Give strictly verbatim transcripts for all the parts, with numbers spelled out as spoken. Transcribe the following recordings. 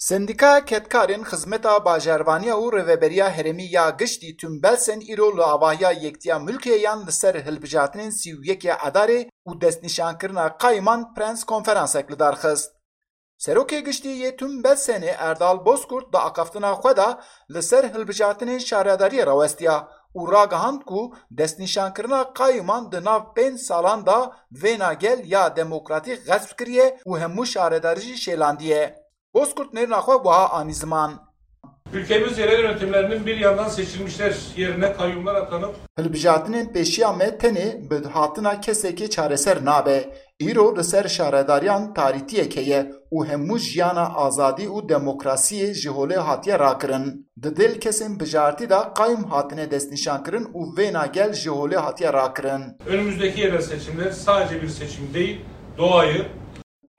Sendîkaya Kedkarên Xizmeta Bajarvaniya û Rêveberiya Herêmî ya Giştî Tüm Belsen îro li avahiya Yektiya Mulkiye yan li ser hilbijartinên sî û yekê Edarê û destnîşankirina qayûman prens konferansek li dar xist. Serokê Giştî yê Tüm Belsenê Erdal Bozkurt di axaftina xwe de li ser hilbijartinên şaredariyê rawestiya û ragihand ku destnîşankirina qayûman di nav pênc salan de vêna gel ya demokratîk xesp kiriye û hemû şaredarî jî şêlandiye. Bozkurt nêrîna xwe wiha anî ziman. Ülkemiz yerel yönetimlerinin bir yandan seçilmişler yerine kayyumlar atanıp Hilbijartinên pêşiya me tenê bi hatina kesekê çareser nabe. Îro li ser şaredariyan tarîtiyek heye û hemû jiyana azadî û demokrasiyê ji holê hatiye rakirin. Di dêl kesên bijartî de qayûm hatine destnîşankirin û vêna gel ji holê hatiye rakirin. Önümüzdeki yerel seçimler sadece bir seçim değil, doğayı,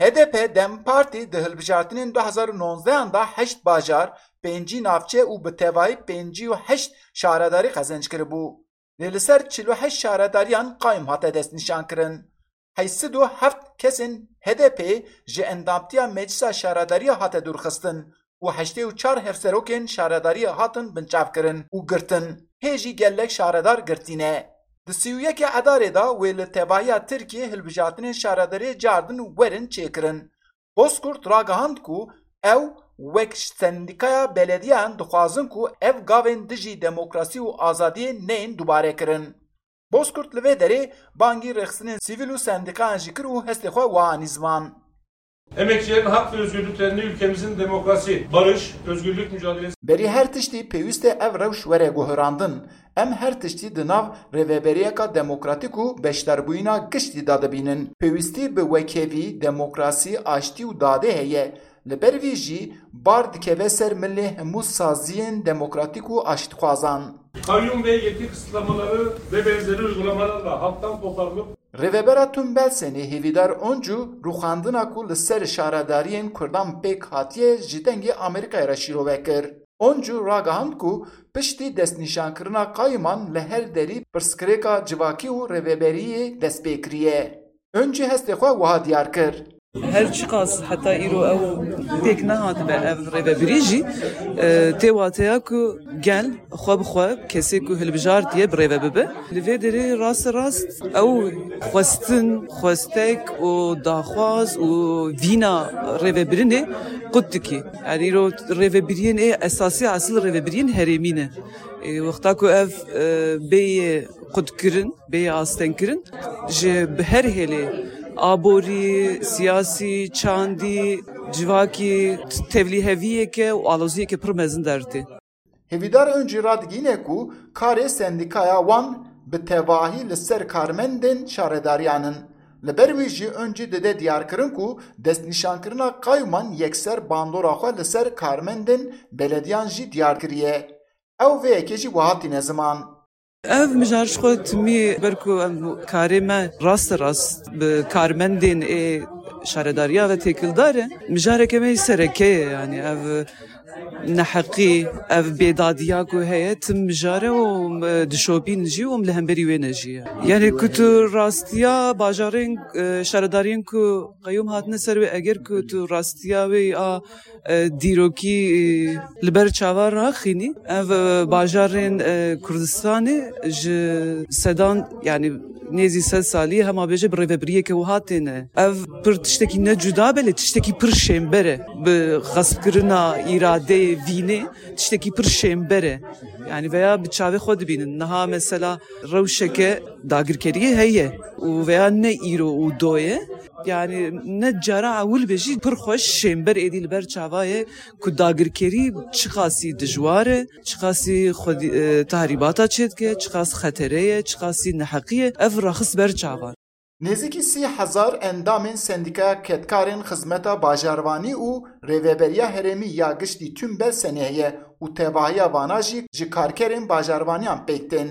H D P DEM Partî di hilbijartinên du hezar û nozdehan de heşt bajar, pêncî navçe û bi tevahî pêncî û heşt şaredarî qezenc kiribû. Lê li ser çil û heşt şaredariyan qayûm hate destnîşankirin. Heyşt sed û heft kesên H D P ji endamtiya Meclisa Şaredariya hate dûrxistin û heştê û çar hevserokên şaredariyê hatin binçavkirin û girtin. Hê jî gelek şaredar girtî ne. Di sî û yekê Edarê de wê li tevahiya Tirkiyê hilbijartinên şaredariyê cardin û werin çêkirin. Bozkurt ragihand ku ew wek sendîkaya belediyan dixwazin ku ev gavên dijî demokrasî û azadiyê neyên dubare kirin. Bozkurt li vê derê bangî rêxistinên sivîl û sendîkayan jî kir û hestê xwe wiha anî ziman. Emekçilerin hak ve özgürlüklerini ülkemizin demokrasi, barış, özgürlük mücadelesi Berî her tiştî pêwîst e ev rewş were guherandin. Em her tiştî di nav rêveberiyeka demokratîk û beşdarbûyîna giştî de dibînin. Pêwîstî bi wekhevî, demokrasî, aştî û dadê heye. Li ber vî jî bar dikeve ser milê hemû saziyên demokratîk û aştixwazan. Kayyum ve yetki kısıtlamaları ve benzeri uygulamalarla halktan koparılıp Rêvebera Tüm Belsenê Hêvîdar Oncu rûxandina ku li ser şaredariyên Kurdan pêk hatiye ji Dengê Amerîkayê re şîrove kir. Oncu ragihand ku piştî destnîşankirina qayûman li her derî pirsgirêka civakî û rêveberiyê dest pê kiriye. Oncu hestê xwe wiha diyar kir. Her çiqas heta îro ew pêk nehatibe ev rêvebirî jî, e, tê wateya ku gel xwe bi xwe kesê ku hilbijartiye bi rêve bibe. Li vê derê rast rast ew xwestin, xwestek û daxwaz û vîna rêvebirinê qut dikî. Yani îro rêvebiriyên ê esasî esil rêvebiriyên herêmî ne. Ê, wexta ku ev, e, bêyê qutkirin, bêyê astengkirin, ji bi her hêlê aborî, siyasî, çandî, civakî, tevlîheviyeke û aloziyeke pir mezin dertê. Hêvîdar Oncî radigihîne ku karê sendîkaya wan bi tevahî li ser karmendên şaredariyan in. Li ber wî jî Oncî dide diyarkirin ku destnîşankirina qayûman yekser bandora xwe li ser karmendên belediyan jî diyar kiriye. Ew vê yekê jî wiha tîne ziman. Ev mijar ji xwe timî ber ku em karê me raste rast bi karmendên ê şaredariya ve têkildar e. Mijareke me yê sereke ye, yani ev neheqî, ev bêdadiya ku heye, tim mijar e û em dişopîn jî û em li hemberî wê ne jî ye. Yani ku tu rastiya bajarên, e, şaredariyên ku qeyûm hatine ser wê, eger ku tu rastiya wê a e, dîrokî, e, li ber çava raxînî. Ev, e, bajarên, e, Kurdistanê ji sedan, yani nêzî sed salî hema bêje bi rêvebiriyeke wiha têne. Ev pir tiştekî ne cuda be, lê tiştekî pir şênber e. Bi xespkirina îradeyê vînê tiştekî pir şênber e. Yani veya bi çavê xwe dibînin. Niha mesela rewşeke dagirkeriyê heye û veya ne îro û do ye. Yani ne cara ewil be jî pir xweş şênber êdî li ber çava ye ku dagirkerî çiqasî dijwar e, çiqasî xwedî, e, tahrîbata çêdike, çiqas xetere ye, çiqasî neheqî ye, ev raxist ber çavan. Nêzîkî sî hezar endamên Sendîkaya Kedkarên Xizmeta Bajarvanî û Rêveberiya Herêmî ya Giştî Tüm Belsenê heye û tevahiya vana jî ji karkerên bajarvaniyan pêk tên.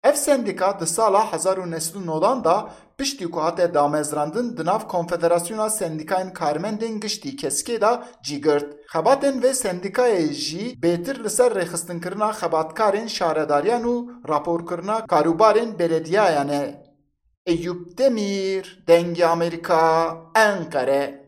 Ev sendîka di sala hezar û neh sed û newdan de piştî ku hate damezrandin di nav Konfederasyona Sendîkayên Karmendên Giştî Kesikê de cî girt. Xebatên vê sendîkayê jî bêtir li ser rêxistinkirina xebatkarên şaredariyan û raporkirina karûbarên belediyayan e. Eyûp Demîr, Dengê Amerîka, Enqere.